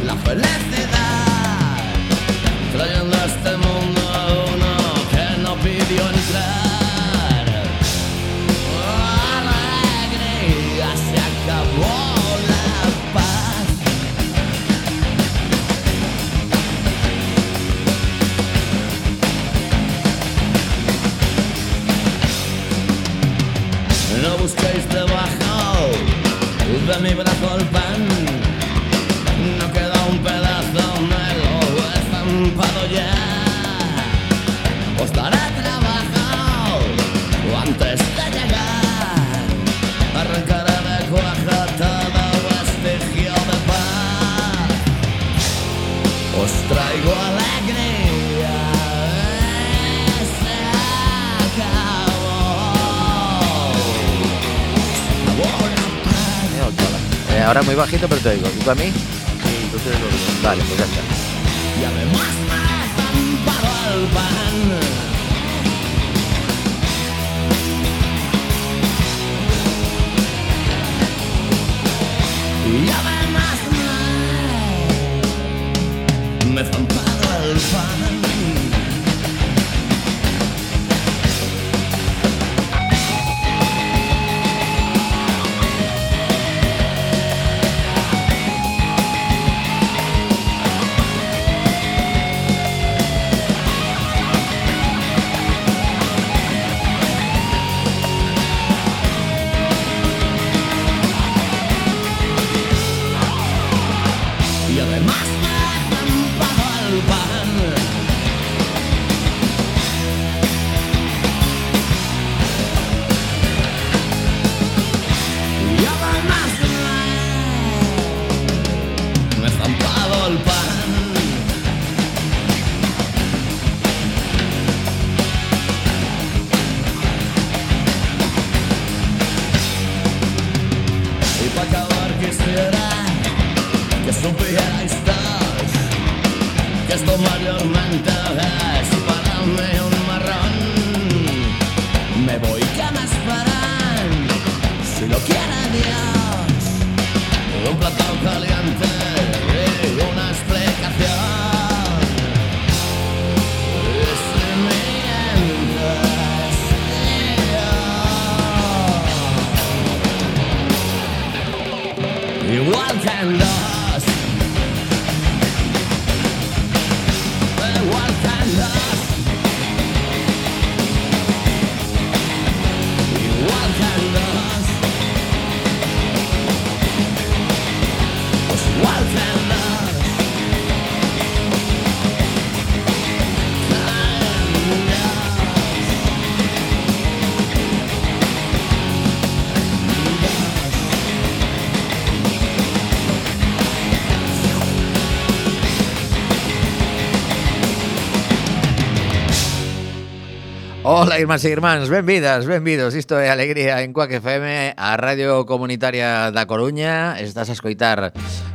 la felicidad, trayendo a este mundo a uno que no pidió entrar. Alegría, se acabó la paz. No busquéis debajo de mi brazo el pan, no queda un pedazo, me lo he estampado ya. Os daré trabajo antes de llegar, arrancaré de cuajo todo vestigio de paz. Os traigo alegría, se acabó. Ahora muy bajito, pero te oigo. ¿Y tú a mí? Sí, tú te lo dices. Vale, pues ya está. Y además me he estampado el pan. Y además me he estampado el pan. Y además me he estampado el pan. Y además me he estampado el pan. Y para acabar quisiera que supierais todos que esto mayormente es para mí un marrón. Me voy, que me esperan, si lo quiere Dios, un plato caliente y una explicación. Y si mientes, yo, igual que en los igual que en los, igual que en los, pues igual que en los, Ola, irmáns e irmáns, benvidos. Isto é Alegría en Cuac FM, a Radio Comunitaria da Coruña. Estás a escoitar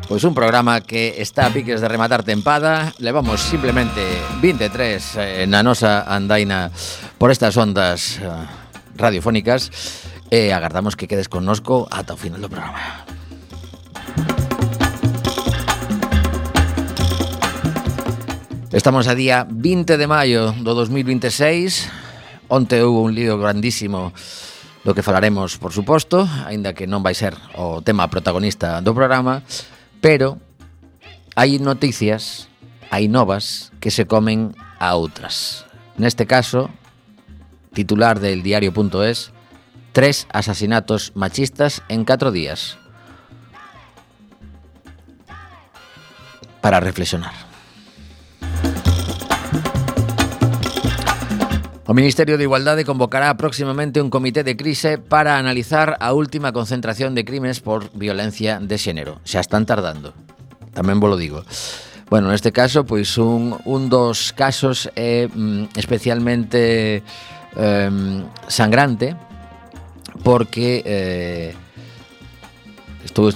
pois un programa que está a piques de rematar tempada. Levamos simplemente 23 na nosa andaina por estas ondas radiofónicas e agardamos que quedes connosco ata o final do programa. Estamos a día 20 de maio do 2026. Onte houve un lío grandísimo do que falaremos, por suposto, aínda que non vai ser o tema protagonista do programa, pero hai noticias, hai novas que se comen a outras. Neste caso, titular del diario.es, 3 asasinatos machistas en 4 días. Para reflexionar. O Ministerio de Igualdade convocará próximamente un comité de crise para analizar a última concentración de crimes por violencia de xénero. Xa están tardando, tamén vos lo digo. Bueno, neste caso, pois un dos casos é especialmente sangrante, porque estou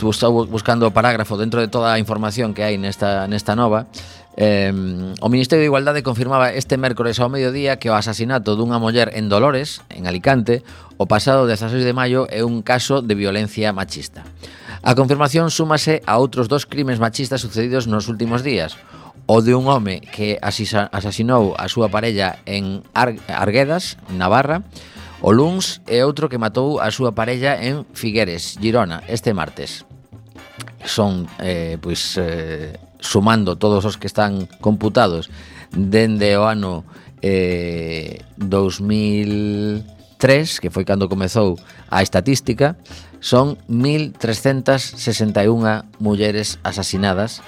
buscando o parágrafo dentro de toda a información que hai nesta nova. O Ministerio de Igualdade confirmaba este mércores ao mediodía que o asasinato dunha muller en Dolores, en Alicante, o pasado 16 de maio é un caso de violencia machista. A confirmación súmase a outros 2 crimes machistas sucedidos nos últimos días. O de un home que asasinou a súa parella en Arguedas, Navarra, o luns, e outro que matou a súa parella en Figueres, Girona, este martes. Son, sumando todos os que están computados dende o ano 2003, que foi cando comezou a estatística, son 1.361 mulleres asasinadas.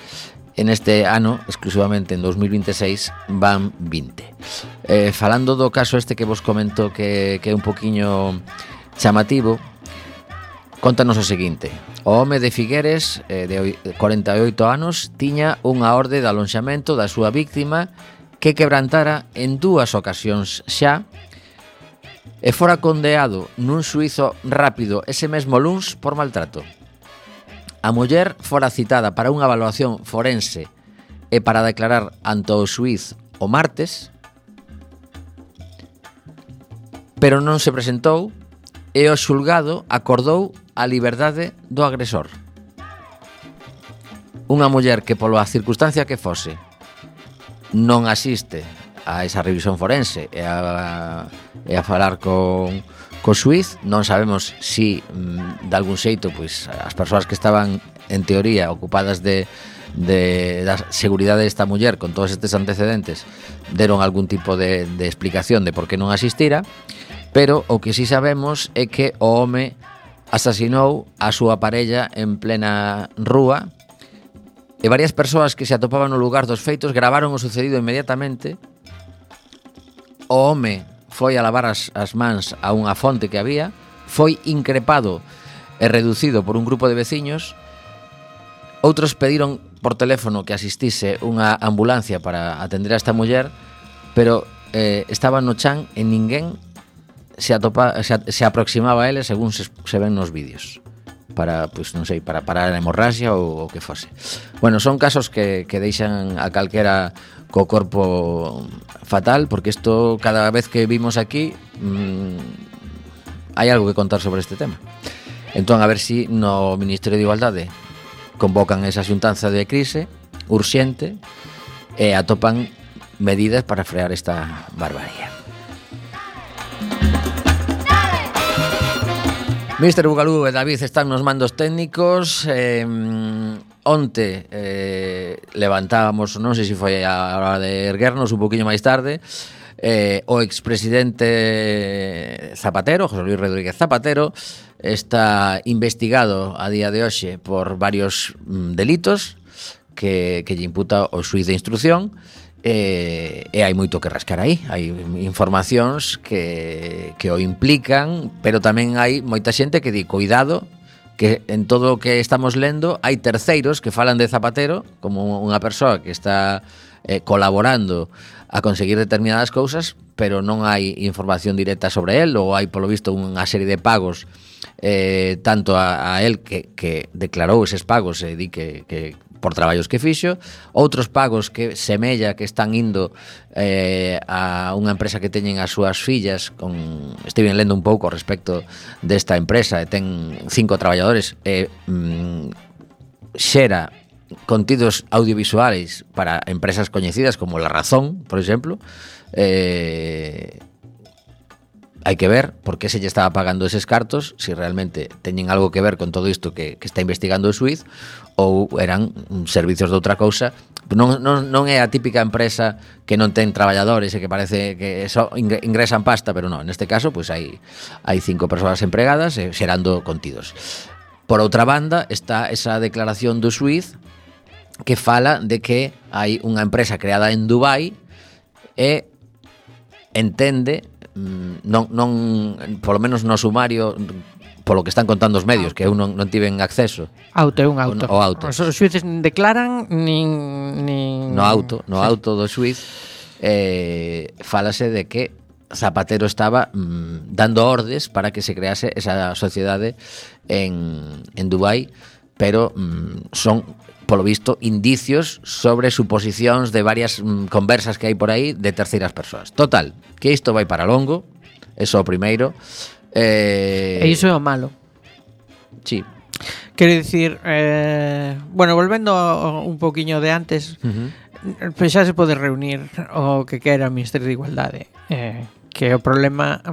En este ano, exclusivamente en 2026, van 20. Falando do caso este que vos comento que é un poquiño chamativo, contanos o seguinte. O home de Figueres, de 48 anos, tiña unha orde de alonxamento da súa víctima que quebrantara en 2 ocasións xa e fora condeado nun xuízo rápido ese mesmo luns por maltrato. A muller fora citada para unha evaluación forense e para declarar ante o xuíz o martes, pero non se presentou e o xulgado acordou a liberdade do agresor. Unha muller que pola circunstancia que fose non asiste a esa revisión forense e a falar co xuiz, non sabemos si de algún xeito pois as persoas que estaban en teoría ocupadas da seguridade desta muller con todos estes antecedentes deron algún tipo de explicación de por que non asistira, pero o que si sabemos é que o home asasinou a súa parella en plena rúa e varias persoas que se atopaban no lugar dos feitos gravaron o sucedido inmediatamente. O home foi a lavar as mans a unha fonte que había, foi increpado e reducido por un grupo de veciños. Outros pediron por teléfono que asistise unha ambulancia para atender a esta muller, pero estaba no chan e ninguén se aproximaba a ele según se ven nos vídeos para, pois non sei, para parar a hemorraxia ou o que fose. Bueno, son casos que deixan a calquera co corpo fatal, porque isto cada vez que vimos aquí hai algo que contar sobre este tema. Entón, a ver si no Ministerio de Igualdade convocan esa xuntanza de crise urxente e atopan medidas para frear esta barbarie. Mister Bugalú e David están nos mandos técnicos. Onte levantábamos, non sei se foi a hora de erguernos un poquinho máis tarde, o expresidente Zapatero, José Luis Rodríguez Zapatero, está investigado a día de hoxe por varios delitos que lle imputa o xuiz de instrucción. E hai moito que rascar aí. Hai informacións que o implican, pero tamén hai moita xente que di, cuidado, que en todo o que estamos lendo hai terceiros que falan de Zapatero como unha persoa que está colaborando a conseguir determinadas cousas, pero non hai información directa sobre él, ou hai polo visto unha serie de pagos tanto a él que declarou eses pagos e di que por traballos que fixo, outros pagos que semella que están indo a unha empresa que teñen as súas fillas. Estive lendo un pouco respecto desta empresa, e ten 5 traballadores e xera contidos audiovisuais para empresas coñecidas como La Razón, por exemplo. Hai que ver por que se lle estaba pagando eses cartos, se realmente teñen algo que ver con todo isto que está investigando o xuiz, ou eran servizos de outra cousa. Non é a típica empresa que non ten traballadores e que parece que só ingresan pasta, pero non, neste caso pois hai 5 persoas empregadas e xerando contidos. Por outra banda está esa declaración do xuiz que fala de que hai unha empresa creada en Dubai e entende, non polo menos no sumario, polo que están contando os medios, que eu non tiven acceso. Un auto. O auto. Os xuíces declaran nin... No auto do xuiz fálase de que Zapatero estaba dando ordes para que se crease esa sociedade en Dubai, pero son, polo visto, indicios sobre suposicións de varias conversas que hai por aí de terceiras persoas. Total, que isto vai para longo, eso o primeiro. E iso é o malo. Sí. Quero dicir, bueno, volvendo un poquinho de antes, pois xa se pode reunir o que quera o Ministerio de Igualdade, que o problema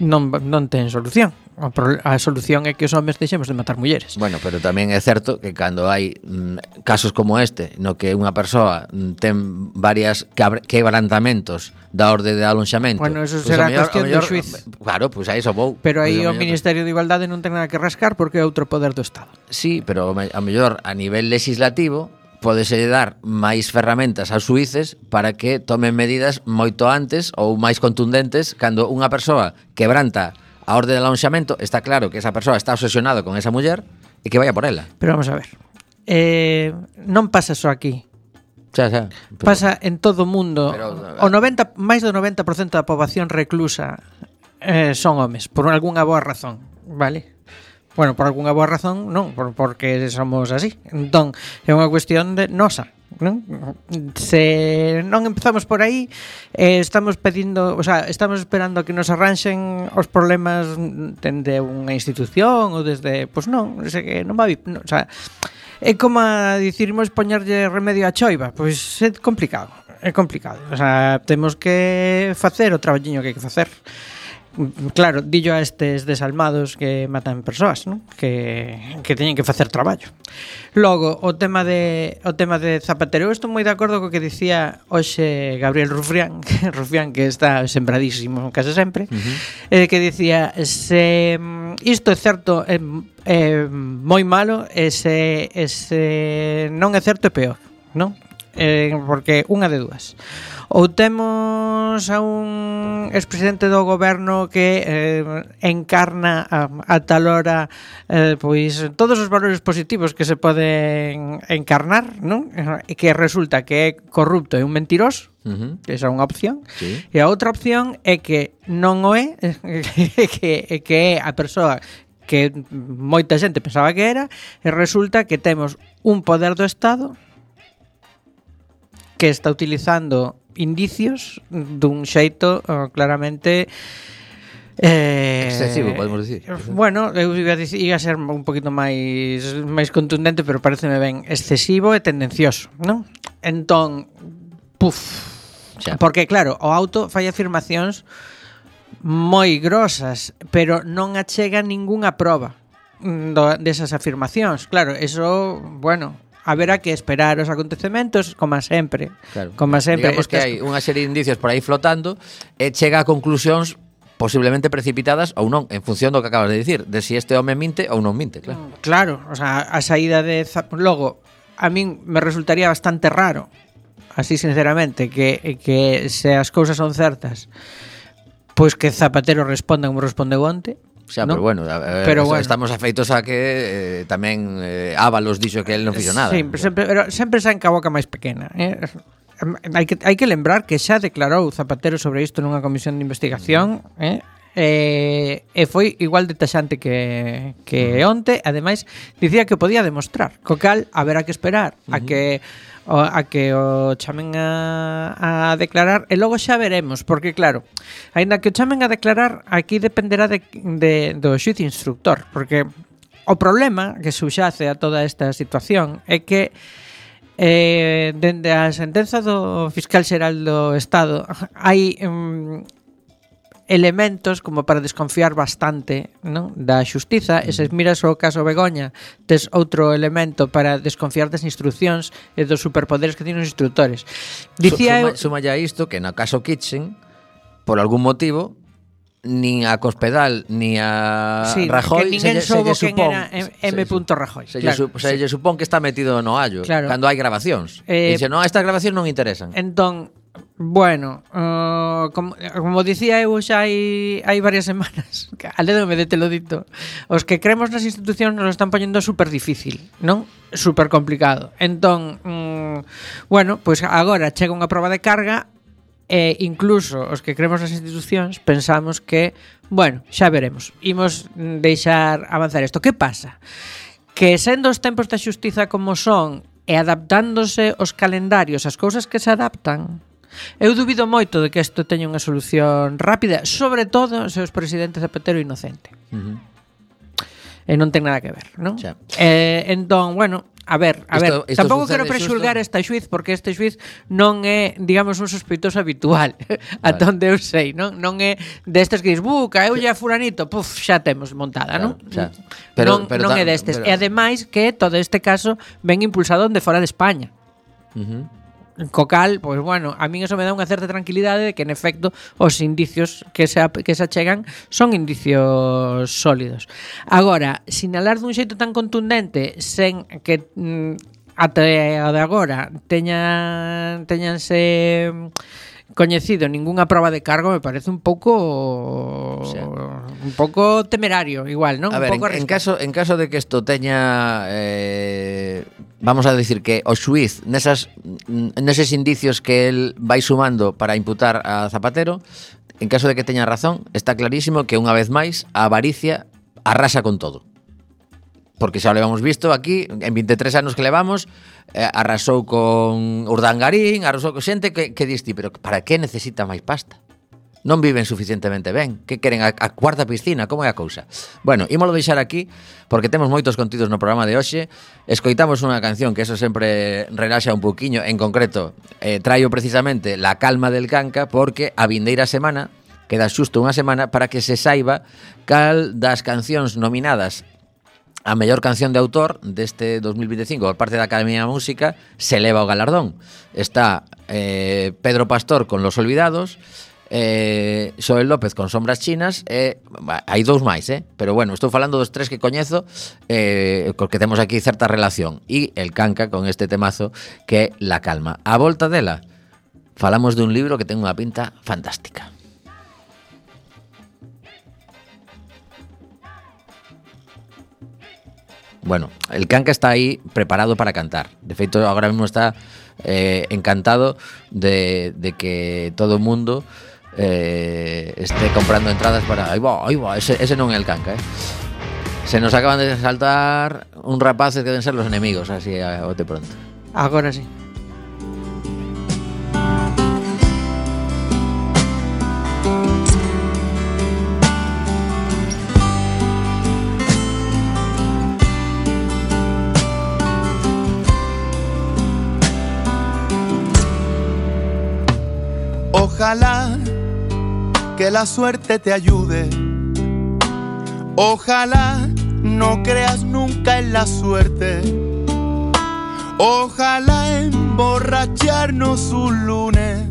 non ten solución. A solución é que os homes deixemos de matar mulleres. Bueno, pero tamén é certo que cando hai casos como este, no que unha persoa ten varias quebrantamentos da orde de alonxamento. Bueno, eso será cuestión do xuiz. Claro, pois a iso vou. Pero aí o Ministerio de Igualdade non ten nada que rascar porque é outro poder do Estado. Sí, pero a mellor a nivel legislativo pódese dar máis ferramentas aos xuíces para que tomen medidas moito antes ou máis contundentes cando unha persoa quebranta a orde de alonxamento. Está claro que esa persoa está obsesionada con esa muller e que vaya por ela. Pero vamos a ver, non pasa só aquí. Pero pasa en todo o mundo. O 90, máis do 90% da poboación reclusa son homes, por algunha boa razón, vale? Bueno, por algunha boa razón non, porque somos así. Entón, é unha cuestión de nosa, non? Se non empezamos por aí, estamos pedindo, o sea, estamos esperando a que nos arranxen os problemas dende unha institución ou desde, pois non, que non va, o sea, é como a dicirmos poñerlle remedio á choiva, pois é complicado, o sea, temos que facer o traballiño que hai que facer. Claro, dillo a estes desalmados que matan persoas, ¿no? Que teñen que facer traballo. Logo, o tema de Zapatero, eu estou moi de acordo co que dicía hoxe Gabriel Rufián, que está sembradísimo case sempre, que dicía, se isto é certo, é moi malo, e se non é certo é peor, non? Porque unha de dúas. Ou temos a un expresidente do goberno que encarna a tal hora pois todos os valores positivos que se poden encarnar, non? E que resulta que é corrupto e un mentiroso, que esa é unha opción, sí. E a outra opción é que non o é, que é a persoa que moita xente pensaba que era, e resulta que temos un poder do Estado que está utilizando indicios dun xeito claramente excesivo, podemos dicir. Bueno, eu iba a ser un poquito máis contundente, pero pareceme ben excesivo e tendencioso, non? Entón, porque claro, o auto fai afirmacións moi grosas, pero non achega ningunha proba desas afirmacións. Claro, eso, bueno, haberá que esperar os acontecementos, como sempre. Claro. Como sempre. Digamos que hai unha serie de indicios por aí flotando e chega a conclusións posiblemente precipitadas ou non, en función do que acabas de dicir, de si este home minte ou non minte, claro. Claro, o sea, a saída de logo, a min me resultaría bastante raro, así sinceramente, que se as cousas son certas, pois que Zapatero responda como respondeu onte. Xa, ¿no? pero bueno, estamos afeitos a que tamén Ábalos dixo que el non fixo nada. Pero sempre saen ca boca máis pequena, Hai que lembrar que xa declarou Zapatero sobre isto nunha comisión de investigación, e foi igual de taxante que onte. Ademais, dicía que podía demostrar, co cal haberá que esperar a que o chamen a declarar, e logo xa veremos, porque claro, aínda que o chamen a declarar, aquí dependerá do xuiz instructor, porque o problema que subxace a toda esta situación é que dende a sentenza do fiscal xeral do Estado hai elementos como para desconfiar bastante, non? Da xustiza, e se miras o caso Begoña, tes outro elemento para desconfiar das instruccións e dos superpoderes que tienen os instructores. Dicía suma ya isto que no caso Kitchen, por algún motivo, nin a Cospedal ni a Rajoy que ninguén soubo quen era M. Rajoy. Se lle supón que está metido no allo, claro, cando hai grabacións. Dice, non, estas grabacións non interesan. Entón, bueno, como dicía eu xa hai varias semanas, alédome de telo dito, os que creemos nas institucións nos lo están poñendo super difícil, non? Super complicado. Entón, bueno, pois agora chega unha proba de carga, e incluso os que creemos nas institucións pensamos que, bueno, xa veremos, imos deixar avanzar isto. Que pasa? Que sendo os tempos da xustiza como son e adaptándose os calendarios ás cousas que se adaptan, eu dubido moito de que isto teña unha solución rápida, sobre todo se os presidente Zapatero inocente. non ten nada que ver, non? Xa. Entón, bueno, a ver, Isto tampouco sucede quero prexulgar esta xuiz porque este xuiz non é, digamos, un sospeitoso habitual, ata onde eu sei, non é destes que dis, buca, eu lle a fulanito, puf, xa temos montada, non? Xa. Non é destes. E ademais que todo este caso ven impulsado onde fora de España. Co cal, pois bueno, a min eso me dá unha certa tranquilidade de que en efecto os indicios que se achegan son indicios sólidos. Agora, sinalar dun xeito tan contundente sen que até o de agora teñanse coñecido ningunha proba de cargo me parece un pouco temerario igual, non? A ver, en caso de que isto teña vamos a decir que o xuiz neses indicios que el vai sumando para imputar a Zapatero, en caso de que teña razón, está clarísimo que unha vez máis a avaricia arrasa con todo. Porque xa o levamos visto aquí, en 23 anos que levamos, arrasou con Urdangarín, arrasou con xente que diste, pero para que necesita máis pasta? Non viven suficientemente ben. Que queren a cuarta piscina? Como é a cousa? Bueno, ímolo deixar aquí, porque temos moitos contidos no programa de hoxe. Escoitamos unha canción que eso sempre relaxa un poquinho, en concreto, traio precisamente La calma del Canca, porque a vindeira semana, queda xusto unha semana, para que se saiba cal das cancións nominadas a mellor canción de autor deste 2025 por parte da Academia de Música se leva o galardón. Está Pedro Pastor con Los Olvidados, Xoel López con Sombras Chinas, hai dous máis, pero bueno, estou falando dos tres que coñezo, porque temos aquí certa relación, e el Canca con este temazo que é La calma. A volta dela falamos dun libro que ten unha pinta fantástica. Bueno, el Canca está aí preparado para cantar. De feito, agora mesmo está encantado de que todo o mundo esté comprando entradas para... Aí va, ese non é el Canca, Se nos acaban de saltar un rapaces que deben ser los enemigos, así a bote pronto. Agora sí. Ojalá que la suerte te ayude. Ojalá no creas nunca en la suerte. Ojalá emborracharnos un lunes,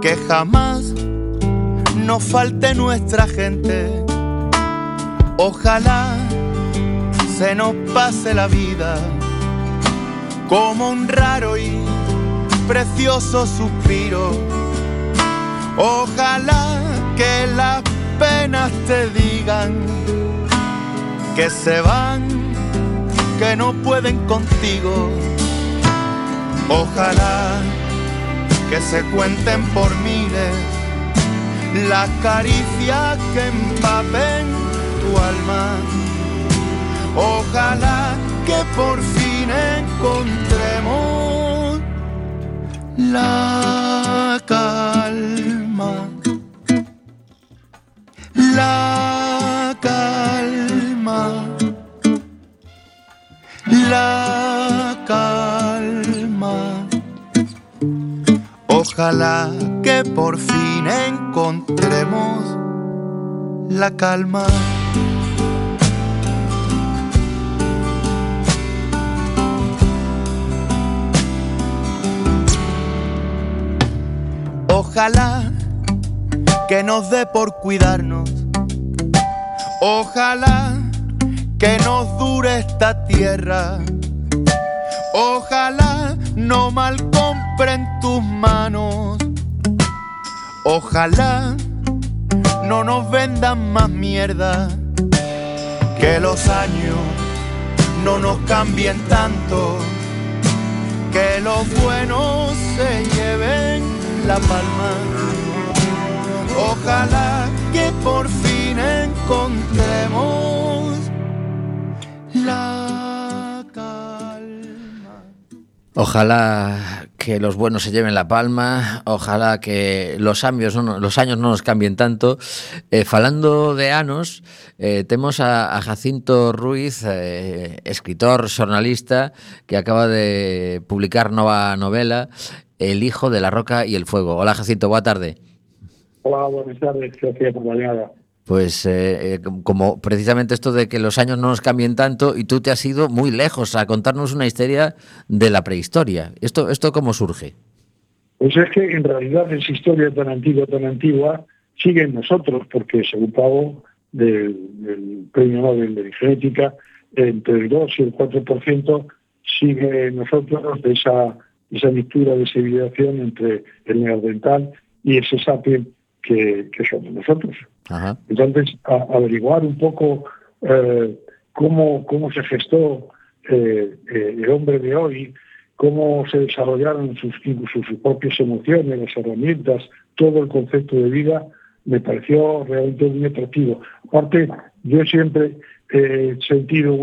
que jamás nos falte nuestra gente. Ojalá se nos pase la vida como un raro y precioso suspiro. Ojalá que las penas te digan que se van, que no pueden contigo. Ojalá que se cuenten por miles las caricias que empapen tu alma. Ojalá que por fin encontremos la calma, la calma, la calma. Ojalá que por fin encontremos la calma. Ojalá que nos dé por cuidarnos. Ojalá que nos dure esta tierra. Ojalá no mal compren tus manos. Ojalá no nos vendan más mierda. Que los años no nos cambien tanto. Que los buenos se lleven la palma. Ojalá que por fin encontremos la calma. Ojalá que los buenos se lleven la palma, ojalá que los años non nos cambien tanto. Falando de anos, temos a Jacinto Ruiz, escritor, xornalista, que acaba de publicar nova novela, El hijo de la roca y el fuego. Hola, Jacinto, boa tarde. Hola, buenas tardes, gracias por la llamada. Pues como precisamente esto de que los años no nos cambien tanto, y tú te has ido muy lejos a contarnos una historia de la prehistoria. ¿Esto cómo surge? Pues es que en realidad esa historia tan antigua, sigue en nosotros, porque según pago del Premio Nobel de Genética, entre el 2 y el 4% sigue en nosotros de esa mixtura, de esa hibridación entre el neandertal y ese sapiens que somos nosotros. Ajá. Entonces, averiguar un poco cómo se gestó el hombre de hoy, cómo se desarrollaron sus propias emociones, las herramientas, todo el concepto de vida, me pareció realmente muy atractivo. Aparte, yo siempre he sentido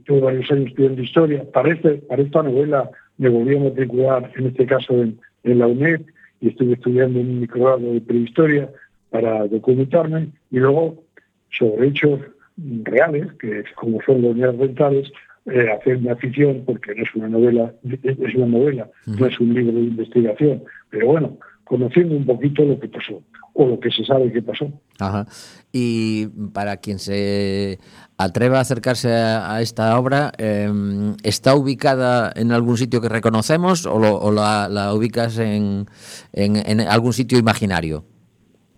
tuve varios años estudiando historia. Para esta novela me volví a matricular, en este caso en la UNED, y estuve estudiando en un microgrado de prehistoria para documentarme, y luego sobre hechos reales, que es como son los neandertales, hacerme afición, porque no es una novela, no es un libro de investigación, pero bueno, conociendo un poquito lo que pasó, o lo que se sabe que pasó. Ajá. Y para quien se atreva a acercarse a esta obra, ¿está ubicada en algún sitio que reconocemos o la ubicas en algún sitio imaginario?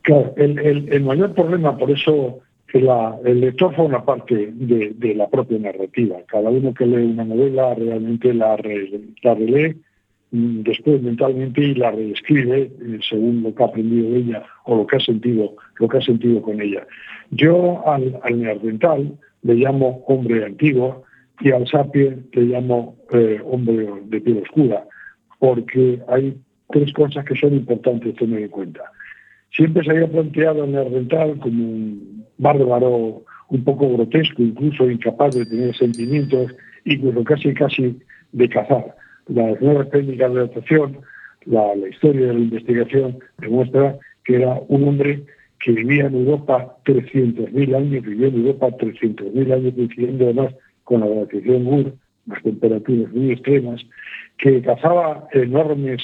Claro, el mayor problema, por eso que el lector forma parte de la propia narrativa. Cada uno que lee una novela realmente la relee después mentalmente y la reescribe según lo que ha aprendido de ella o lo que ha sentido con ella. Yo al neandertal le llamo hombre antiguo y al sapiens le llamo hombre de piel oscura, porque hay tres cosas que son importantes tener en cuenta. Siempre se había planteado al neandertal como un bárbaro un poco grotesco, incluso incapaz de tener sentimientos, incluso casi de cazar. Las nuevas técnicas de adaptación, la historia de la investigación demuestra que era un hombre que vivía en Europa 300.000 años, coincidiendo además con la glaciación Gur, las temperaturas muy extremas, que cazaba enormes,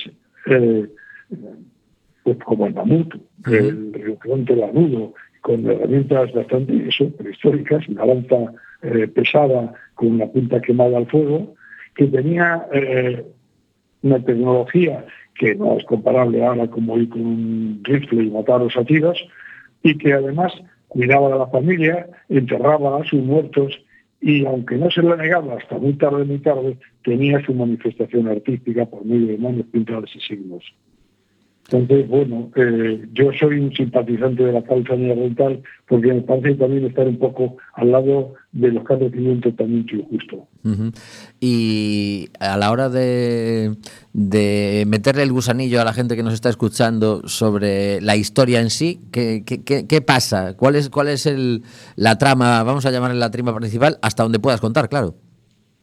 pues como el mamut, el rinoceronte lanudo, con herramientas bastante prehistóricas, una lanza pesada con una punta quemada al fuego, que tenía una tecnología que no es comparable ahora como ir con un rifle y matar a los atiras, y que además cuidaba de la familia, enterraba a sus muertos, y aunque no se lo negaba hasta muy tarde, tenía su manifestación artística por medio de manos pintadas y signos. Entonces, bueno, yo soy un simpatizante de la causa neandertal porque me parece también estar un poco al lado de los que han recibido un tratamiento injusto. Uh-huh. Y a la hora de meterle el gusanillo a la gente que nos está escuchando sobre la historia en sí, ¿qué pasa? ¿Cuál es la trama, vamos a llamarle la trama principal, hasta donde puedas contar, claro?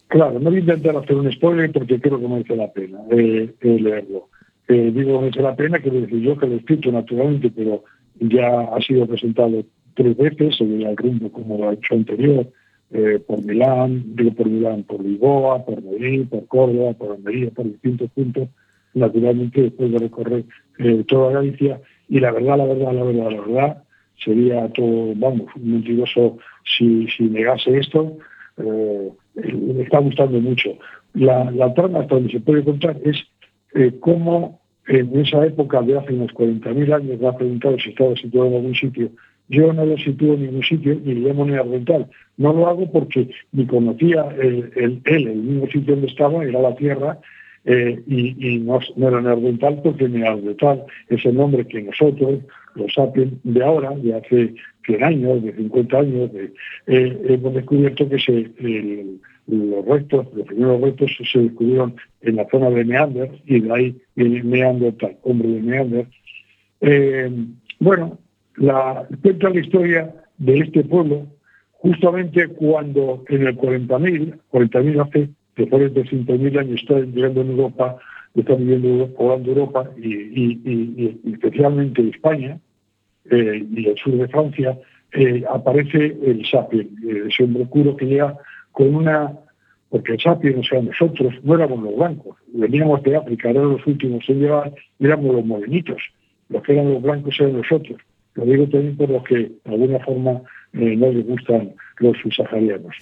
Claro, no voy a intentar hacer un spoiler porque creo que merece la pena leerlo. Digo que merece la pena, quiero decir yo que lo he escrito naturalmente, pero ya ha sido presentado 3 veces, sobre el rumbo como lo ha hecho anterior, por Lisboa, por Madrid, por Córdoba, por Almería, por distintos puntos, naturalmente después de recorrer toda Galicia, y la verdad, sería todo, un mentiroso si negase esto. Me está gustando mucho. La trama hasta donde se puede contar es cómo en esa época de hace unos 40.000 años, me ha preguntado si estaba situado en algún sitio. Yo no lo sitúo en ningún sitio ni le llamo neandertal. No lo hago porque ni conocía el mismo sitio donde estaba, era la Tierra, y no era neandertal porque neandertal es el nombre que nosotros, los sapiens de ahora, de hace 100 años, de 50 años, hemos descubierto que los primeros restos se descubrieron en la zona de Neander, y de ahí viene neandertal, hombre de Neander. Cuenta la historia de este pueblo justamente cuando en el 40.000 hace después de 300.000 años está llegando en Europa está viviendo poblando Europa y especialmente España y el sur de Francia, aparece el Sapien, ese hombre oscuro que llega con una... Porque el Sapien, o sea, nosotros no éramos los blancos, veníamos de África, eran los últimos en llegar, éramos los morenitos, los que eran los blancos eran nosotros. Lo digo también por los que de alguna forma no les gustan los subsaharianos.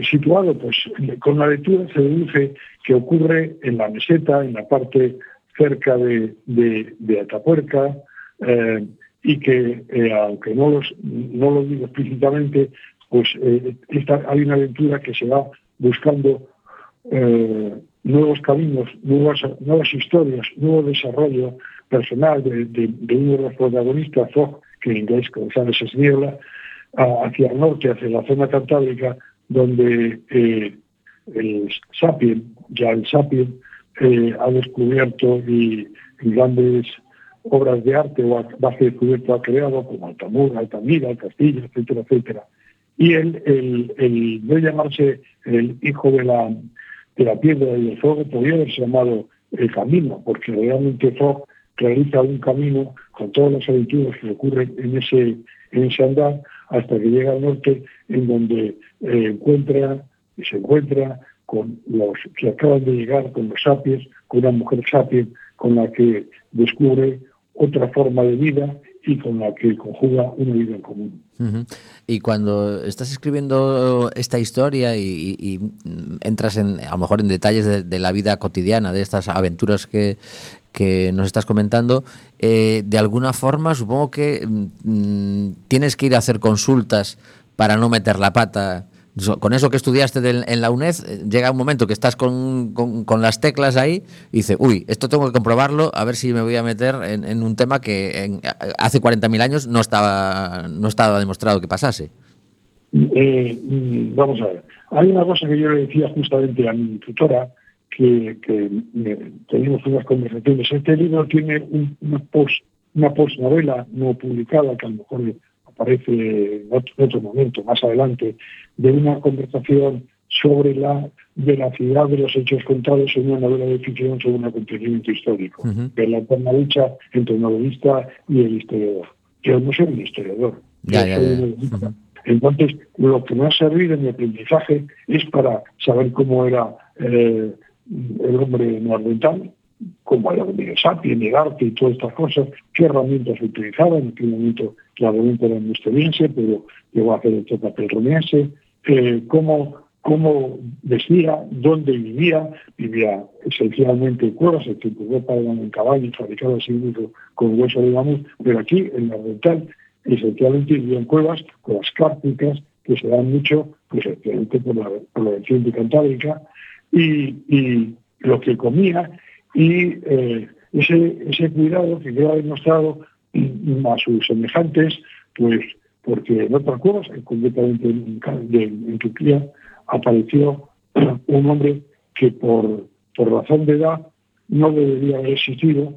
Situado, pues, con la lectura se deduce que ocurre en la meseta, en la parte cerca de Atapuerca, y que, aunque no lo digo explícitamente, pues hay una aventura que se va buscando nuevos caminos, nuevas historias, nuevo desarrollo personal de uno de los protagonistas, Fogg, que en inglés, como sabes, es niebla, hacia el norte, hacia la zona cantábrica, donde el Sapien ha descubierto y grandes obras de arte o base descubierto ha creado, como Altamira, Castilla, etcétera, etcétera. Y el no llamarse el hijo de la piedra y del fuego podría haberse llamado el camino, porque realmente Fogg realiza un camino con todas las aventuras que ocurren en ese andar hasta que llega al norte, en donde se encuentra con los que acaban de llegar, con los sapiens, con una mujer sapien con la que descubre otra forma de vida y con la que conjuga una vida en común. Y cuando estás escribiendo esta historia y entras a lo mejor en detalles de la vida cotidiana, de estas aventuras que nos estás comentando, de alguna forma supongo que tienes que ir a hacer consultas para no meter la pata. Con eso que estudiaste en la UNED, llega un momento que estás con las teclas ahí y dices, uy, esto tengo que comprobarlo, a ver si me voy a meter en un tema que hace 40.000 años no estaba demostrado que pasase. Vamos a ver. Hay una cosa que yo le decía justamente a mi tutora, que teníamos unas conversaciones. Este libro tiene una postnovela no publicada, que a lo mejor aparece en otro momento, más adelante, de una conversación sobre la veracidad de los hechos contados en una novela de ficción sobre un acontecimiento histórico, que es la eterna lucha entre el novelista y el historiador. Yo no soy un historiador. Entonces, lo que me ha servido en mi aprendizaje es para saber cómo era el hombre neandertal, cómo era el sapien, el arte y todas estas cosas, qué herramientas utilizaban. En aquel momento claramente era un estoniense, pero llegó a hacer el papel romense, cómo vestía, dónde vivía esencialmente en cuevas, el que en Europa eran en caballos fabricados así mismo con hueso de mamut, pero aquí en la oriental esencialmente vivía en cuevas cárpicas, que se dan mucho, pues esencialmente por la región de Cantábrica, y lo que comía, y ese cuidado que queda demostrado a sus semejantes, pues porque en otras cuevas, concretamente en Turquía, apareció un hombre que por razón de edad no debería haber existido,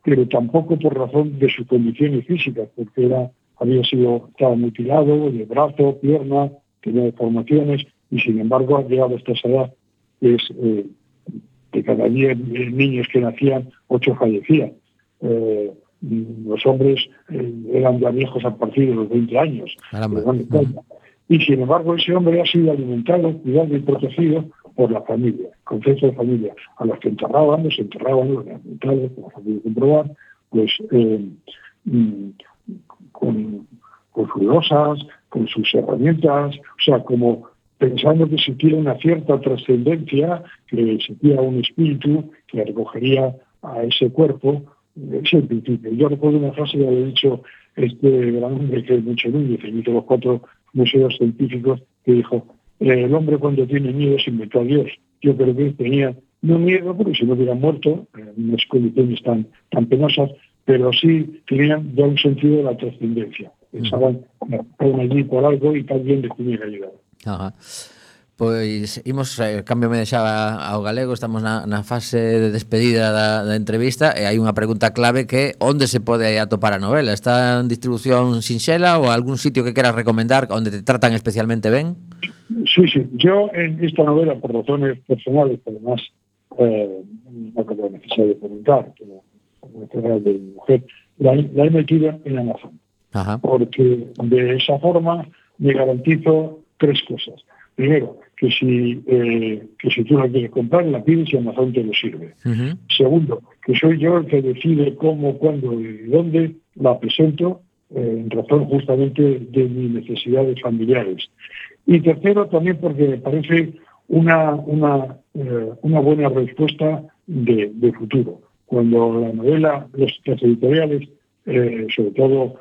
pero tampoco por razón de sus condiciones físicas, porque estaba mutilado de brazo, pierna, tenía deformaciones, y sin embargo ha llegado hasta esa edad, de cada 10 niños que nacían, 8 fallecían. Los hombres eran ya viejos a partir de los 20 años. Y sin embargo ese hombre ha sido alimentado, cuidado y protegido por la familia, concepto de familia, a los que los enterraban, los alimentales, como se puede comprobar, pues con sus losas, con sus herramientas, o sea, como pensando que existiera una cierta trascendencia, que existía un espíritu que recogería a ese cuerpo. Ese principio. Yo recuerdo una frase que había dicho este gran hombre que es Mucho Núñez, que hizo los 4 museos científicos, que dijo, el hombre cuando tiene miedo se inventó a Dios. Yo creo que tenía no miedo, porque si no hubiera muerto, en unas condiciones tan penosas, pero sí tenían ya un sentido de la trascendencia. Pensaban, estaban allí por algo y también les tenía que ayudar. Ajá. Pois imos, cámbiame xa ao galego. Estamos na fase de despedida da entrevista e hai unha pregunta clave que onde se pode atopar a novela? Está en distribución sinxela ou algún sitio que queras recomendar onde te tratan especialmente ben? Sí, yo en esta novela, por razones personales, además no creo necesario preguntar, como natural de mi mujer, la he metido en Amazon. Ajá. Porque de esa forma me garantizo 3 cosas. Primero, que si tú la quieres comprar, la pides y Amazon te lo sirve. Uh-huh. Segundo, que soy yo el que decide cómo, cuándo y dónde la presento, en razón justamente de mis necesidades familiares. Y tercero, también porque me parece una buena respuesta de futuro. Cuando la novela, las editoriales, sobre todo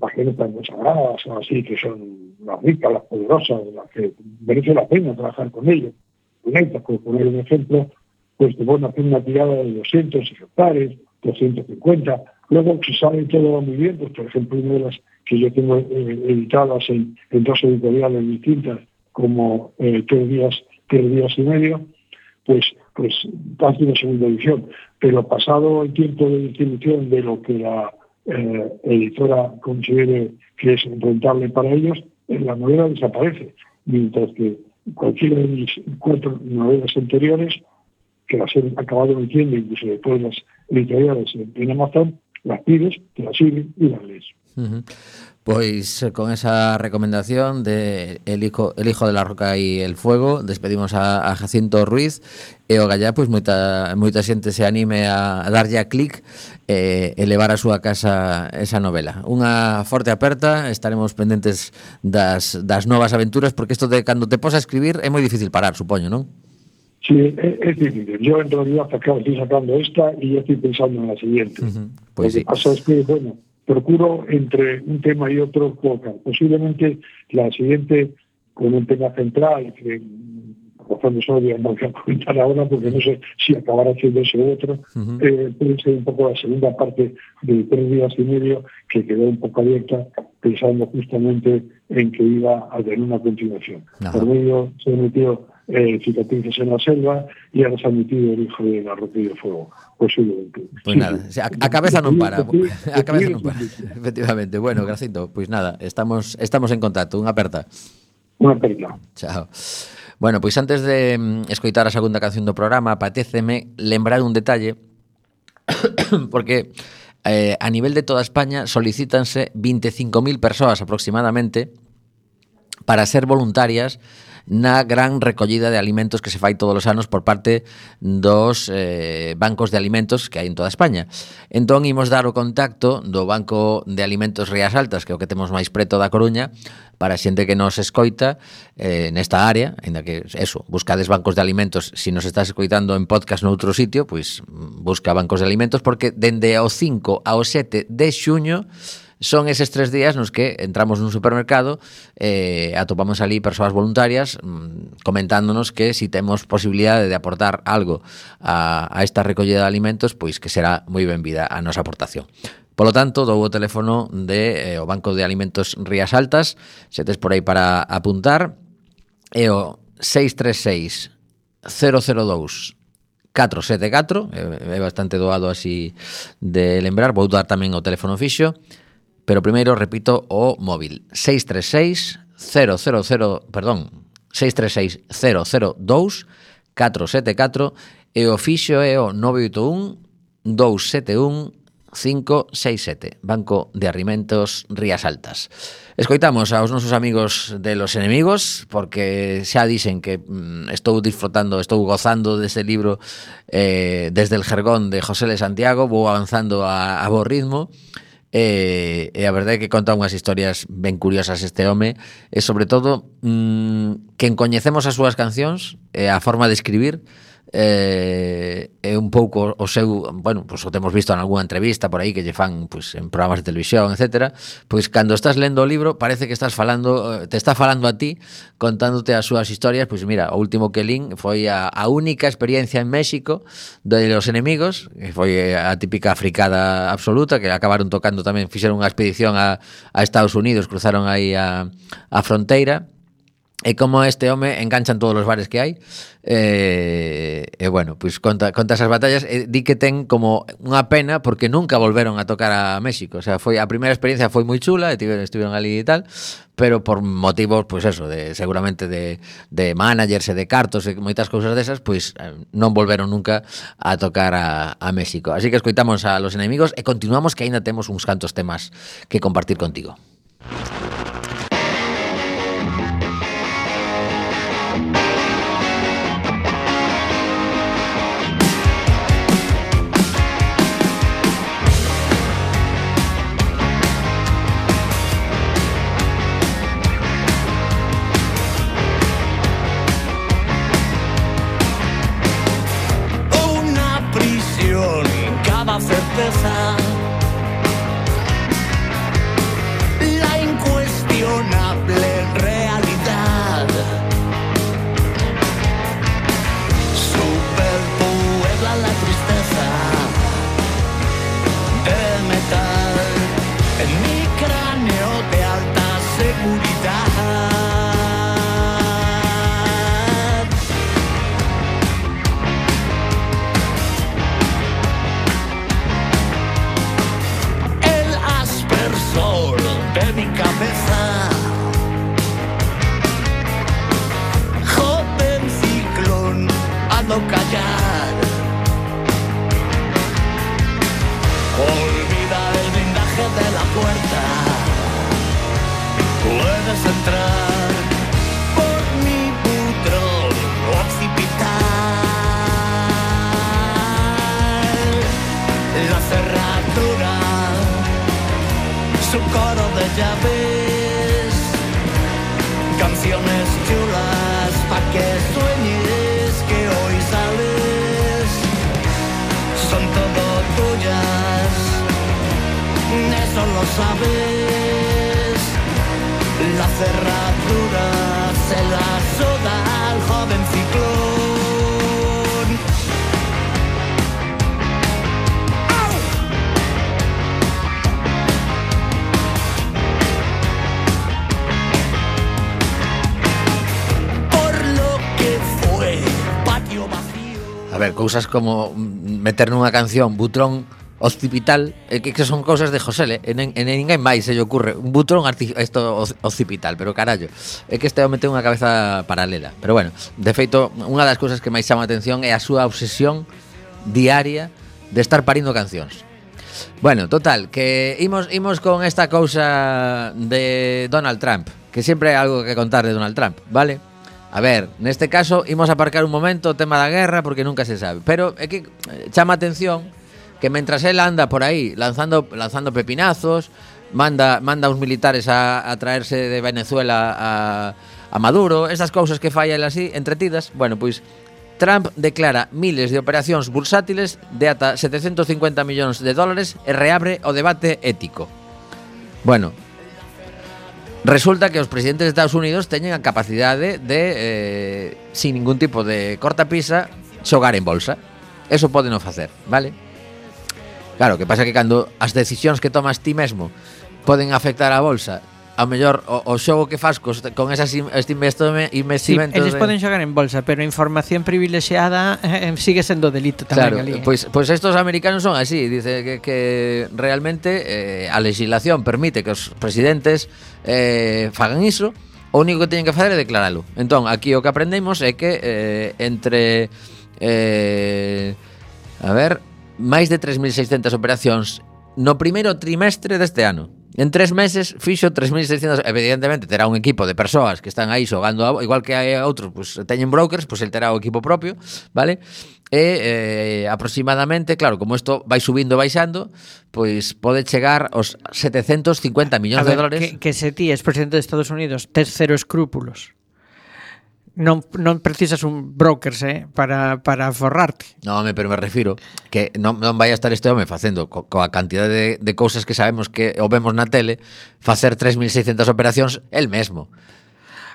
las que no están consagradas o así, que son las ricas, las poderosas, las que merece la pena trabajar con ellos. Por poner un ejemplo, pues te van a hacer una tirada de 200 ejemplares, 250. Luego, si sale todo muy bien, pues por ejemplo, una de las que yo tengo editadas en 2 editoriales distintas, como 3 días y medio, pues casi una segunda edición. Pero pasado el tiempo de distribución de lo que la editora considere que es rentable para ellos, la novela desaparece, mientras que cualquiera de mis 4 novelas anteriores, que las he acabado metiendo incluso después las editoriales en Amazon, las pides, te las sirven y las lees. Uh-huh. Pois con esa recomendación de El hijo de la roca y el fuego, despedimos a Jacinto Ruiz e o gallá, pois moita xente se anime a darlle a clic e levar a súa casa esa novela. Unha forte aperta, estaremos pendentes das novas aventuras, porque isto de cando te pos a escribir é moi difícil parar, supoño, non? Sí, es difícil. Yo en realidad estoy sacando esta y ya estoy pensando en la siguiente. Uh-huh. Pues lo que pasa es que, bueno, procuro entre un tema y otro colocar. Posiblemente la siguiente con un tema central, que por razones obvias no voy a comentar ahora porque no sé si acabará siendo ese otro. Uh-huh. Puede ser un poco la segunda parte de 3 días y medio, que quedó un poco abierta, pensando justamente en que iba a tener una continuación. Uh-huh. Por medio se metió cicatrices en la selva y ahora se ha metido El hijo de la roca y el fuego. Posiblemente. Pues nada, a cabeza non para. A cabeza non para. Efectivamente. Bueno, Jacinto, pois nada, estamos en contacto. Unha aperta. Unha aperta. Chao. Bueno, pois antes de escoitar a segunda canción do programa, apatéceme lembrar un detalle, porque a nivel de toda España solicítanse 25.000 persoas aproximadamente para ser voluntarias na gran recollida de alimentos que se fai todos os anos por parte dos bancos de alimentos que hai en toda España. Entón, imos dar o contacto do Banco de Alimentos Rías Altas, que é o que temos máis preto da Coruña, para a xente que nos escoita nesta área, ainda que, eso, buscades bancos de alimentos. Se nos estás escoitando en podcast noutro sitio, pois busca bancos de alimentos, porque dende o 5 ao 7 de xuño son eses 3 días nos que entramos nun supermercado e atopamos ali persoas voluntarias comentándonos que si temos posibilidade de aportar algo a esta recollida de alimentos, pois que será moi benvida a nosa aportación. Polo tanto, dou o teléfono de o Banco de Alimentos Rías Altas, se tes por aí para apuntar, é o 636 002 474, é bastante doado así de lembrar, vou dar tamén o teléfono fixo. Pero primeiro repito o móvil 636 002 474 e o fixo é o 981 271 567, Banco de Alimentos Rías Altas. Escoitamos aos nosos amigos de Los Enemigos, porque xa dixen que estou gozando deste libro desde el jergón de José L. Santiago, vou avanzando a bo ritmo. E a verdade é que conta unhas historias ben curiosas este home, e sobre todo quen coñecemos as súas cancións e a forma de escribir é un pouco o seu, bueno, pois o temos visto en algunha entrevista por aí que lle fan pois en programas de televisión, etcétera, pois cando estás lendo o libro parece que te está falando a ti, contándote as súas historias. Pois mira, o último que lín foi a única experiencia en México de Los Enemigos, que foi a típica fricada absoluta, que acabaron tocando tamén, fixeron unha expedición a Estados Unidos, cruzaron aí a fronteira. E como este home enganchan todos os bares que hai. Bueno, pois conta esas batallas, di que ten como unha pena porque nunca volveron a tocar a México. O sea, foi a primeira experiencia foi moi chula, estiveron ali e tal, pero por motivos, pois eso, seguramente de managers e de cartos e moitas cousas desas, pois non volveron nunca a tocar a México. Así que escoitamos a Los Enemigos e continuamos, que aínda temos uns cantos temas que compartir contigo. Certeza, la incuestionable realidad, superpuebla la tristeza de metal en mi cráneo de alta seguridad. De mi cabeza, joven ciclón a no callar, olvida el blindaje de la puerta, puedes entrar por mi butrón occipital, la cerradura, su coro de llaves, canciones chulas pa' que sueñes que hoy sales, son todo tuyas, eso lo sabes, la cerradura se la suda al joven ciclón. A ver, cousas como meter nunha canción Butrón occipital, que son cousas de José, e ninguén máis se lle ocurre un butrón occipital, pero carallo, é que este home ten unha cabeza paralela. Pero bueno, de feito, unha das cousas que máis chama a atención é a súa obsesión diaria de estar parindo cancións. Bueno, total, que imos con esta cousa de Donald Trump, que sempre hai algo que contar de Donald Trump, vale? A ver, neste caso imos aparcar un momento o tema da guerra porque nunca se sabe, pero é que chama a atención que mentras él anda por aí lanzando pepinazos, manda uns militares a traerse de Venezuela a Maduro, estas cousas que fai el así entretidas, bueno, pois Trump declara miles de operacións bursátiles de ata 750 millóns de dólares e reabre o debate ético. Bueno, resulta que os presidentes de Estados Unidos teñen a capacidade de, sin ningún tipo de cortapisa, xogar en bolsa. Eso poden facer, vale? Claro, que pasa que cando as decisións que tomas ti mesmo poden afectar a bolsa, ao mellor o xogo que fas con esas investimentos... Sí, eles poden xogar en bolsa, pero a información privilexiada sigue sendo delito tamén, claro, ali. Pois estos americanos son así, dice que realmente a legislación permite que os presidentes fagan iso, o único que teñen que facer é declaralo. Entón, aquí o que aprendemos é que entre máis de 3.600 operacións no primeiro trimestre deste ano. En 3 meses fixo 3.600. Evidentemente terá un equipo de persoas que están aí xogando, igual que hai outros, pues, teñen brokers, pues el terá o equipo propio, vale? E aproximadamente, claro, como isto vai subindo e baixando, pois pode chegar aos 750 millóns de dólares. Que se ti és presidente de Estados Unidos, tes cero escrúpulos. Non precisas un broker para forrarte. No, pero me refiro que non vai a estar este home facendo coa cantidade de cousas que sabemos que o vemos na tele, facer 3.600 operacións el mesmo.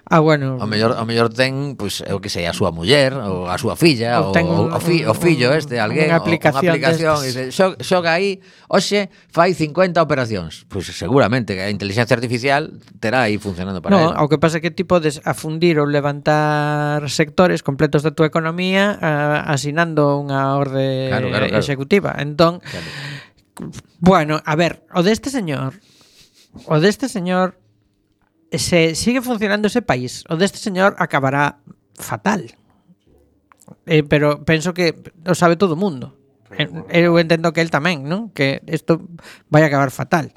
Bueno, ao mellor ten, pois, o que sei, a súa muller, ou a súa filla, ou o fillo alguén, unha aplicación e dice, xoga aí, hoxe fai 50 operacións. Pois seguramente que a inteligencia artificial terá aí funcionando para no, él. ao que pasa que ti podes afundir ou levantar sectores completos da túa economía asinando unha orde Claro. executiva. Entón, bueno, a ver, o deste señor se sigue funcionando ese país, o deste señor acabará fatal. Pero penso que o sabe todo o mundo. Eu entendo que el tamén, non? Que isto vai acabar fatal.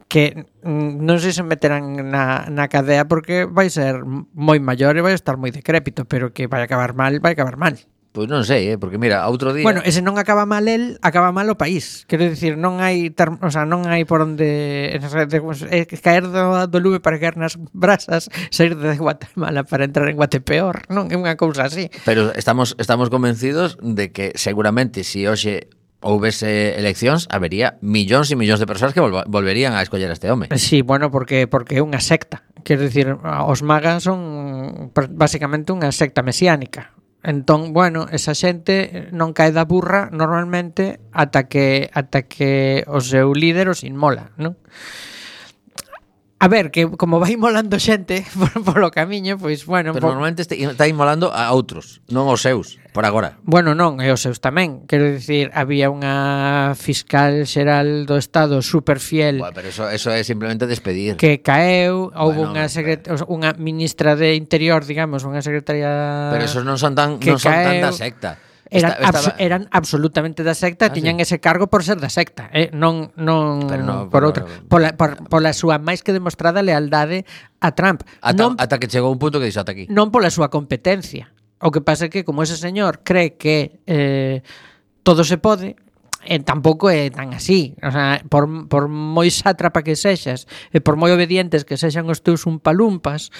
Que non sei se meterán na cadea porque vai ser moi maior e vai estar moi decrépito, pero que vai acabar mal. Pois non sei, porque mira, outro día... Bueno, ese non acaba mal el, acaba mal o país. Quero dicir, non hai non hai por onde caer do lume para caer nas brasas, sair de Guatemala para entrar en Guatepeor, non é unha cousa así. Pero estamos convencidos de que seguramente se hoxe houvese eleccións, habería millóns e millóns de persoas que volverían a escoller a este home. Sí, bueno, porque é unha secta. Quero dicir, os magas son basicamente unha secta mesiánica. Entón, bueno, esa xente non cae da burra normalmente ata que o seu líder os inmola, non? A ver, que como vai molando xente polo camiño, pois, bueno... Pero normalmente está inmolando a outros, non os seus, por agora. Bueno, non, e os seus tamén. Quero dicir, había unha fiscal xeral do Estado super fiel... Bueno, pero eso é simplemente despedir. Que caeu, houve unha ministra de Interior, digamos, unha secretaria... Pero esos non son tan da secta. Eran absolutamente da secta, tiñan ese cargo por ser da secta, non por outra, pola súa máis que demostrada lealdade a Trump. Ata que chegou un punto que dixo ata aquí. Non pola súa competencia. O que pasa é que como ese señor cree que todo se pode, tampouco é tan así. O sea, por moi sátrapa que sexas e por moi obedientes que sexan os teus umpalumpas,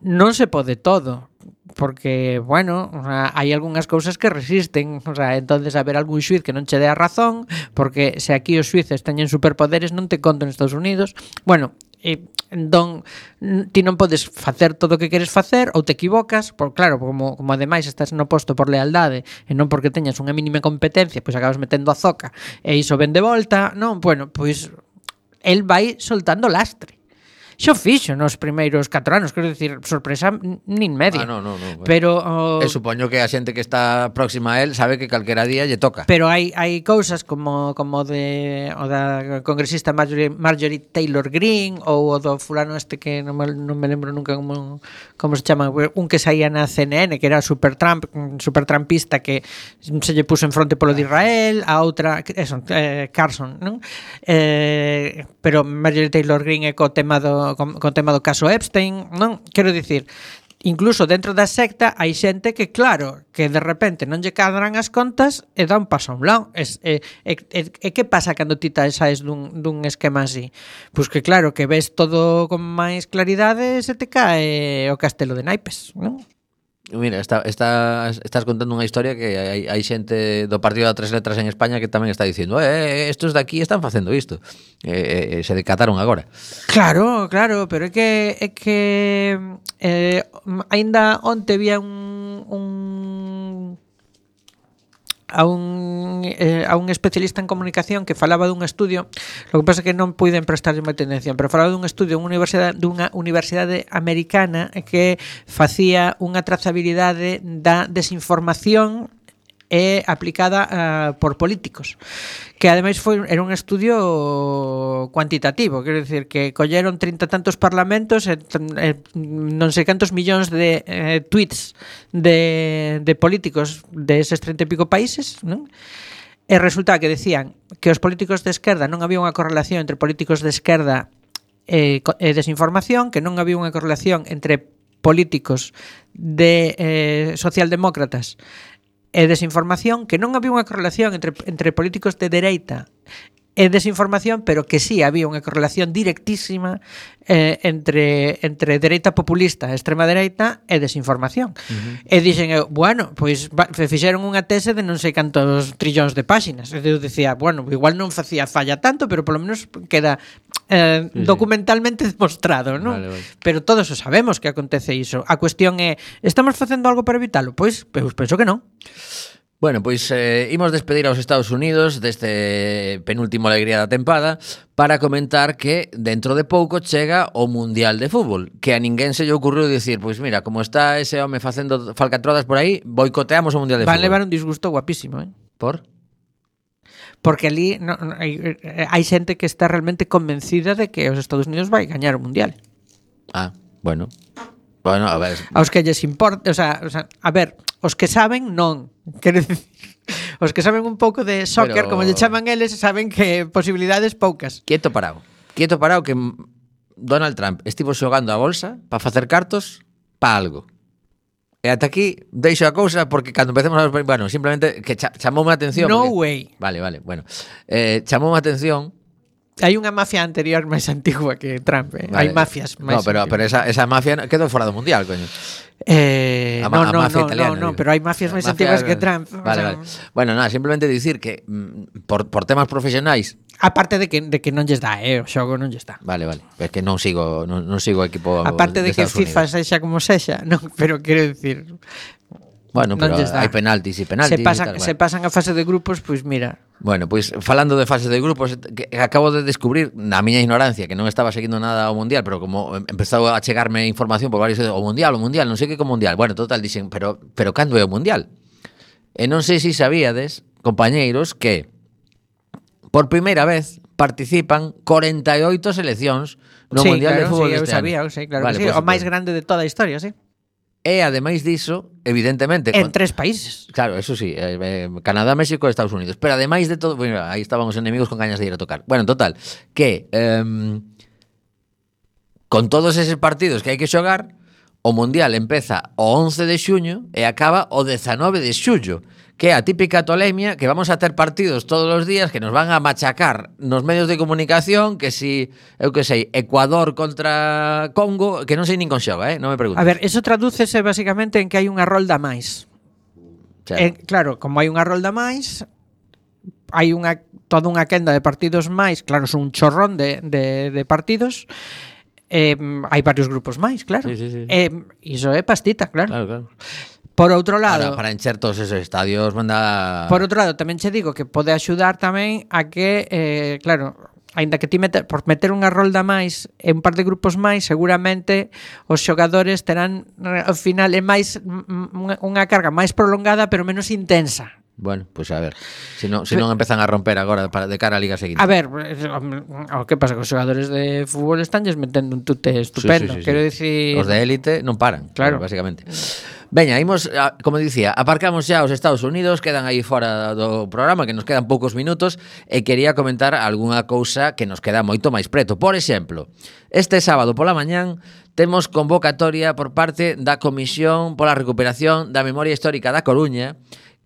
non se pode todo. Porque, bueno, o sea, hai algunhas cousas que resisten, o sea, entonces haber algún xuiz que non che dé a razón, porque se aquí os xuíces teñen superpoderes non te conto en Estados Unidos. Bueno, entón ti non podes facer todo o que queres facer ou te equivocas, por claro, como ademais estás no posto por lealdade e non porque teñas unha mínima competencia, pois acabas metendo a zoca e iso ven de volta, non, bueno, pois el vai soltando lastre. Xo fixo nos primeiros 4 anos, quero dicir, sorpresa nin media. No. Pero supoño que a xente que está próxima a él sabe que calquera día lle toca. Pero hai cousas como o da congresista Marjorie Taylor Greene ou o do fulano este que non me lembro nunca como se chama, un que saía na CNN que era super trumpista que se lle puso en fronte polo de Israel, a outra Carson, non? Pero Marjorie Taylor Greene é co tema do caso Epstein, non? Quero dicir, incluso dentro da secta hai xente que, claro, que de repente non lle cadran as contas e dá un paso a un lado. E que pasa cando ti saes dun esquema así? Pois que, claro, que ves todo con máis claridade e se te cae o castelo de naipes, non? Mira, estás contando unha historia que hai xente do partido da Tres Letras en España que tamén está dicindo estos de aquí están facendo isto se decataron agora. Claro, pero é que aínda onte había a un especialista en comunicación que falaba dun estudio, lo que pasa é que non puiden prestarlle moita atención, pero falaba dun estudio dunha universidade americana que facía unha trazabilidade da desinformación aplicada por políticos, que ademais era un estudio cuantitativo, quero dicir que colleron 30 tantos parlamentos e non sei cantos millóns de tweets de políticos deses 30 e pico países, non? E resulta que decían que os políticos de esquerda non había unha correlación entre políticos de esquerda e desinformación, que non había unha correlación entre políticos de socialdemócratas e desinformación, que non había unha correlación entre políticos de dereita e desinformación, pero que sí había unha correlación directísima entre dereita populista, extrema dereita e desinformación. E dixen eu, bueno, pois fixeron unha tese de non sei cantos trillóns de páxinas. E eu dicía, bueno, igual non facía falla tanto, pero polo menos queda documentalmente demostrado, non? Vale. Pero todos o sabemos que acontece iso. A cuestión é, estamos facendo algo para evitalo? Pois penso que non. Bueno, pois imos despedir aos Estados Unidos deste penúltimo alegría da tempada para comentar que dentro de pouco chega o Mundial de Fútbol, que a ninguén se lle ocurriu dicir, pois mira, como está ese home facendo falcatrodas por aí, boicoteamos o Mundial de Van Fútbol. levar un disgusto guapísimo, Por? Porque ali hai xente que está realmente convencida de que os Estados Unidos vai gañar o Mundial. Ah, bueno. Bueno, a ver. Aos que lles importa, o sea, a ver, os que saben non, quero dicir, os que saben un pouco de soccer, Pero... como lle chaman eles, saben que posibilidades poucas. Quieto parado que Donald Trump estivo xogando a bolsa para facer cartos para algo. E ata aquí deixo a cousa porque cando empecemos a... Bueno, simplemente que chamoume a atención. No porque... way. Vale, bueno. Chamoume a atención. Hai unha mafia anterior máis antigua que Trump, Vale. Hai mafias máis. No, pero esa mafia quedou fora do mundial, coño. Mafia italiana. No, pero hai mafias máis antiguas que Trump. Vale. Bueno, nada, simplemente dicir que por temas profesionais. Aparte de que non lles dá, o xogo non lles dá. Vale. É que non sigo o equipo. Aparte de que FIFA sexa como sexa, non, pero quero dicir. Bueno, pero hai penaltis e penaltis. Se pasan a fase de grupos, pois mira. Bueno, pois falando de fase de grupos, que acabo de descubrir na miña ignorancia que non estaba seguindo nada ao Mundial, pero como empezou a chegarme información por varios o Mundial, non sei que co Mundial. Bueno, total dixen, pero cando é o Mundial? E non sei se sabíades, compañeiros, que por primeira vez participan 48 seleccións no Mundial de Fútbol este ano. Eu sabía, claro, vale, que sí, o máis grande de toda a historia, sí. E ademais diso, evidentemente en 3 países. Claro, eso sí, Canadá, México e Estados Unidos. Pero ademais de todo, bueno, aí estaban os enemigos con gañas de ir a tocar. Bueno, total, que con todos eses partidos que hai que xogar, o Mundial empeza o 11 de xuño e acaba o 19 de xullo, que é a típica tolemia que vamos a ter partidos todos os días que nos van a machacar nos medios de comunicación, que si, eu que sei, Ecuador contra Congo, que non sei nin con xoga, non me preguntes. A ver, eso tradúcese basicamente en que hai unha rolda máis. Claro, como hai unha rolda máis, hai toda unha quenda de partidos máis, claro, son un chorrón de partidos. Hai varios grupos máis, claro. Sí. Iso é pastita, claro. Claro. Por outro lado, para encher todos esos estadios manda... Por outro lado, tamén che digo que pode axudar tamén a que, claro, aínda que ti por meter unha rolda máis e un par de grupos máis, seguramente os xogadores terán ao final máis unha carga máis prolongada pero menos intensa. Bueno, pois a ver, se non empezan a romper agora de cara á liga seguinte. A ver, o que pasa que os xogadores de fútbol estanlles metendo un tute estupendo. Sí. Quero dicir, os de élite non paran, claro, basicamente. Veña, imos, como dicía, aparcamos xa os Estados Unidos, quedan aí fora do programa, que nos quedan poucos minutos, e quería comentar algunha cousa que nos queda moito máis preto. Por exemplo, este sábado pola mañán temos convocatoria por parte da Comisión pola Recuperación da Memoria Histórica da Coruña,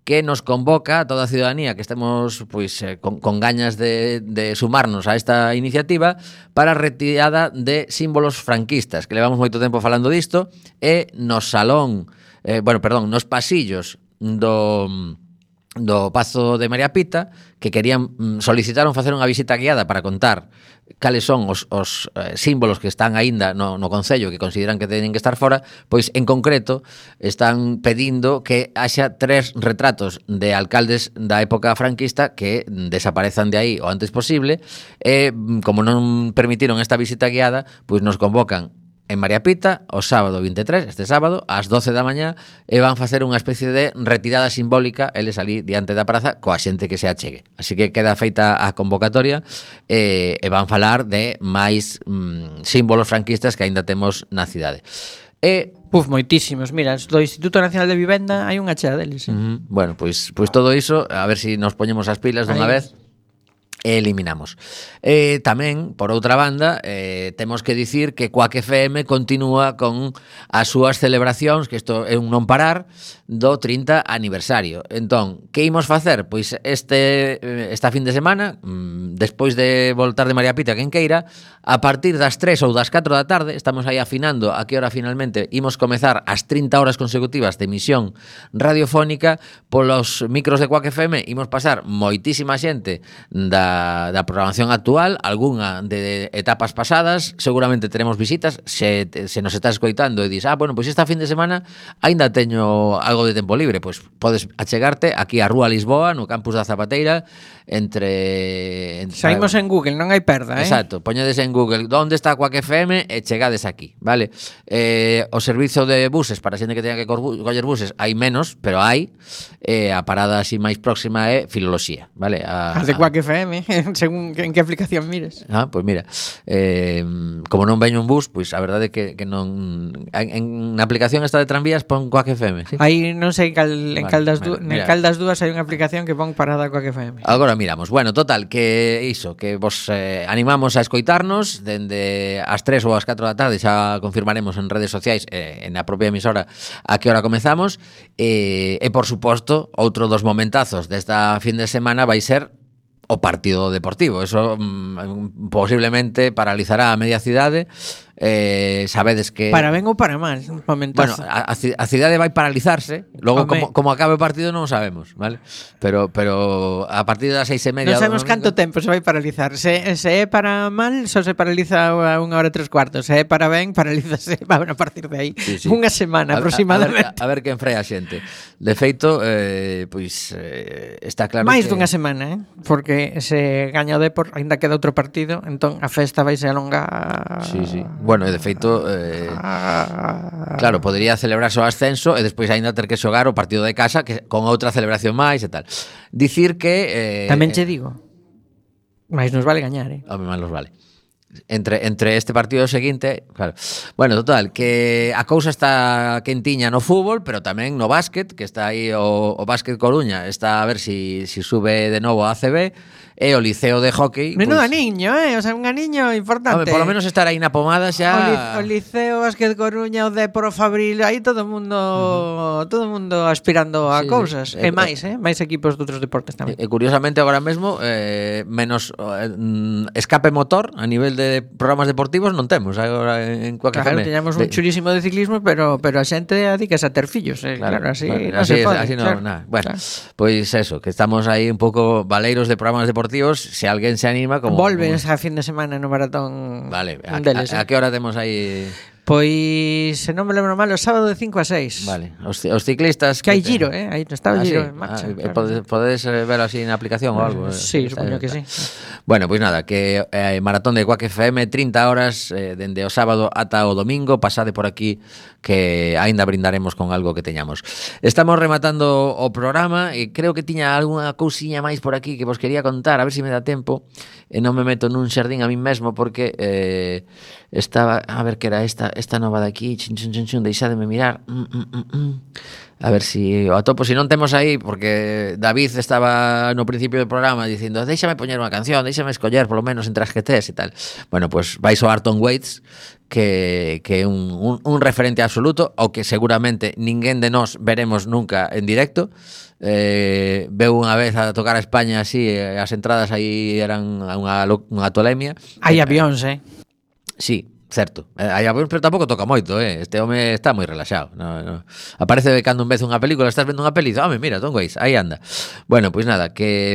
que nos convoca a toda a ciudadanía que estemos con gañas de sumarnos a esta iniciativa para a retirada de símbolos franquistas, que levamos moito tempo falando disto, e no salón, nos pasillos do Pazo de María Pita, que solicitaron facer unha visita guiada para contar cales son os símbolos que están aínda no Concello que consideran que teñen que estar fora, pois en concreto están pedindo que haxa 3 retratos de alcaldes da época franquista que desaparezan de aí o antes posible, e como non permitiron esta visita guiada, pois nos convocan en María Pita o sábado 23, este sábado, ás 12 da mañá, e van facer unha especie de retirada simbólica, eles ali diante da praza, coa xente que se achegue. Así que queda feita a convocatoria e van falar de máis símbolos franquistas que aínda temos na cidade. Moitísimos. Mira, do Instituto Nacional de Vivenda hai unha chea deles. Bueno, pois todo iso, a ver se nos poñemos as pilas dunha vez e eliminamos. Tamén, por outra banda, temos que dicir que Quack FM continúa con as súas celebracións, que isto é un non parar, do 30 aniversario. Entón, que imos facer? Pois esta fin de semana, despois de voltar de María Pita, quen queira, a partir das 3 ou das 4 da tarde, estamos aí afinando a que hora finalmente imos comezar as 30 horas consecutivas de emisión radiofónica polos micros de Quack FM. Imos pasar moitísima xente da da programación actual, algunha de etapas pasadas, seguramente teremos visitas, se nos está escoitando e dis, bueno, pois esta fin de semana aínda teño algo de tempo libre, pois podes achegarte aquí a Rúa Lisboa, no campus da Zapateira, entre saímos en Google, non hai perda, Exacto, poñedes en Google onde está Quack FM e chegades aquí, vale? O servizo de buses, para a xente que teña que coller buses, hai menos, pero hai. A parada así máis próxima é Filoloxía, vale? As de Quack FM, según en que aplicación mires. Pois mira, como non veño un bus, pois a verdade é que non en a aplicación esta de tranvías pon Quack FM, ¿sí? Aí non sei en Caldas Dúas hai unha aplicación que pon parada Quack FM. Agora miramos. Bueno, total, que iso, que vos animamos a escoitarnos dende as 3 ou as 4 da tarde, xa confirmaremos en redes sociais en a propia emisora a que hora comezamos, e por suposto, outro dos momentazos desta fin de semana vai ser o partido deportivo. Eso posiblemente paralizará a media cidade. Sabedes que para ben ou para mal, un momentazo. Bueno, a cidade vai paralizarse. Logo, como acabe o partido non sabemos, vale? Pero a partir das 6:30 non sabemos canto tempo se vai paralizar. Se é para mal, só se paraliza a 1:03. Se é para ben, paralízase a partir de aí. Sí. Unha semana aproximadamente. A ver quen freia a xente. De feito, pois está claro máis que dunha semana, porque se gaña o Depor, aínda queda outro partido, entón a festa vai se alongar. Sí. Bueno, de feito, claro, podería celebrarse o ascenso e despois aínda ter que xogar o partido de casa que con outra celebración máis e tal. Dicir que tamén che digo, máis nos vale gañar, Home, máis nos vale. Entre este partido e o seguinte, claro. Bueno, total, que a cousa está quentiña no fútbol, pero tamén no básquet, que está aí o Básquet Coruña, está a ver si sube de novo a ACB. E o Liceo de Hockey menudo aniño, o sea, un aniño importante. Por lo menos estar aí na pomada xa. O Liceo, Básquet Coruña, o Depor, o Fabril, aí todo o mundo aspirando a cousas. E máis equipos de outros deportes tamén. E curiosamente agora mesmo menos escape motor a nivel de programas deportivos non temos agora en Quack FM. Claro, teñamos un churísimo de ciclismo, pero a xente adícase a ter fillos, claro, así non se pode. Así non, nada. Bueno, pois eso, que estamos aí un pouco baleiros de programas deportivos. Se alguén se anima como volves a fin de semana no maratón. Vale, a que hora temos aí? Pois, se non me lembro mal, o sábado de 5 a 6. Vale, os ciclistas que hai giro, aí está o giro en marcha. Podedes ver así na aplicación ou algo? Sí, supoño que sí. Bueno, pois nada, que maratón de Quack FM 30 horas dende o sábado ata o domingo. Pasade por aquí que aínda brindaremos con algo que teñamos. Estamos rematando o programa e creo que tiña algunha cousiña máis por aquí que vos quería contar, a ver se me dá tempo e non me meto nun xardín a min mesmo porque estaba, a ver que era esta nova de aquí, deixádeme mirar. A ver si o atopo, si non temos aí, porque David estaba no principio do programa dicindo, déxame poñer unha canción, déxame escoller polo menos entre as que tes e tal. Bueno, pues vai soar Tom Waits, que é un referente absoluto, ao que seguramente ninguén de nós veremos nunca en directo. Veu unha vez a tocar a España así, as entradas aí eran unha tolemia. Hai avións, Sí, certo. Hai avións, pero tampouco toca moito, Este home está moi relaxado. No. Aparece de cando en vez unha película, estás vendo unha peli, home, mira, Tom Waits, aí anda. Bueno, pois nada, que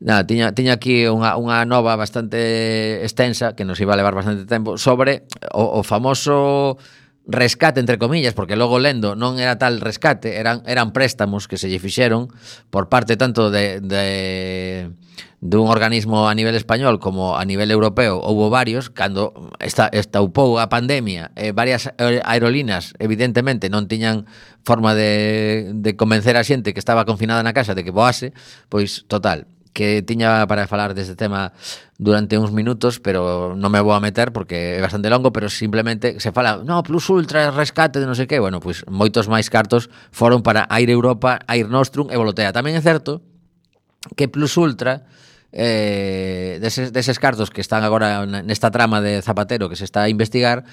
tiña aquí unha nova bastante extensa que nos iba a levar bastante tempo sobre o famoso rescate, entre comillas, porque logo lendo non era tal rescate, eran préstamos que se lle fixeron por parte tanto de un organismo a nivel español como a nivel europeo. Houbo varios, cando estaupou a pandemia, varias aerolíneas evidentemente non tiñan forma de convencer a xente que estaba confinada na casa de que voase, pois total, que tiña para falar deste tema durante uns minutos, pero non me vou a meter porque é bastante longo, pero simplemente se fala, no, Plus Ultra, rescate de non sei que, bueno, pois moitos máis cartos foron para Air Europa, Air Nostrum e Volotea. Tamén é certo que Plus Ultra, deses cartos que están agora nesta trama de Zapatero que se está a investigar,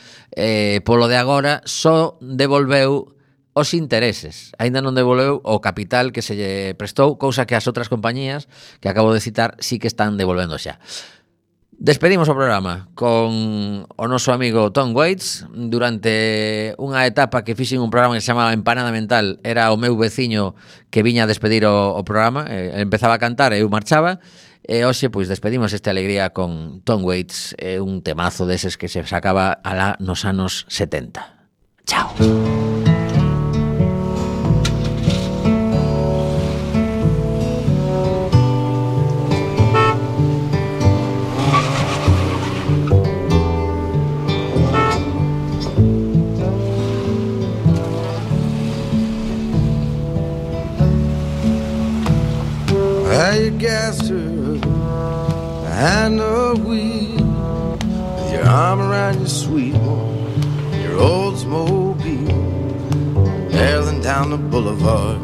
polo de agora só devolveu os intereses, aínda non devolveu o capital que se lle prestou, cousa que as outras compañías que acabo de citar sí que están devolvendo xa. Despedimos o programa con o noso amigo Tom Waits. Durante unha etapa que fixen un programa que se chamaba Empanada Mental, era o meu veciño que viña a despedir o programa, empezaba a cantar e eu marchaba, E hoxe, pois, despedimos esta alegría con Tom Waits, un temazo deses que se sacaba alá nos anos 70. Chao. You gassed her behind the wheel with your arm around your sweet one, your Oldsmobile, barreling down the boulevard.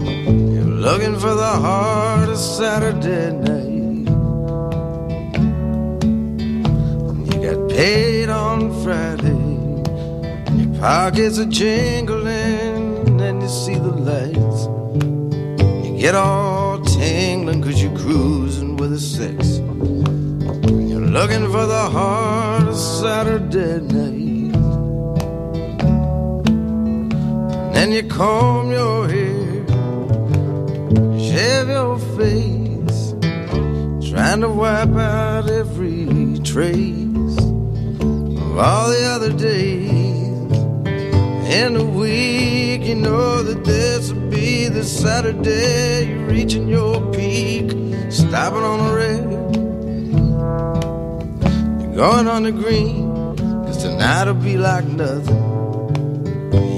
You're looking for the heart of Saturday night. You got paid on Friday, your pockets are jingling, and you see the lights. You get all tingling 'cause you're cruising with a six. You're looking for the heart of Saturday night. And then you comb your hair, shave your face, trying to wipe out every trace of all the other days in the week. You know that this will be the Saturday you're reaching your peak, stopping on the red, you're going on the green, 'cause tonight'll be like nothing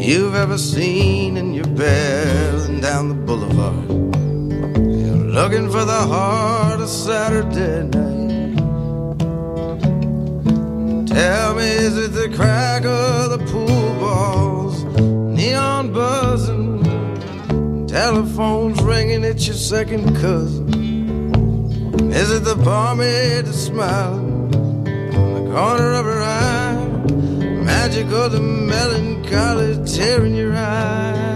you've ever seen, and you're barreling down the boulevard. You're looking for the heart of Saturday night. Tell me, is it the crack of the pool balls, neon buzzing, telephones ringing, it's your second cousin? Is it the barmaid that's smiling in the corner of her eye, magic of the melancholy tearing your eye?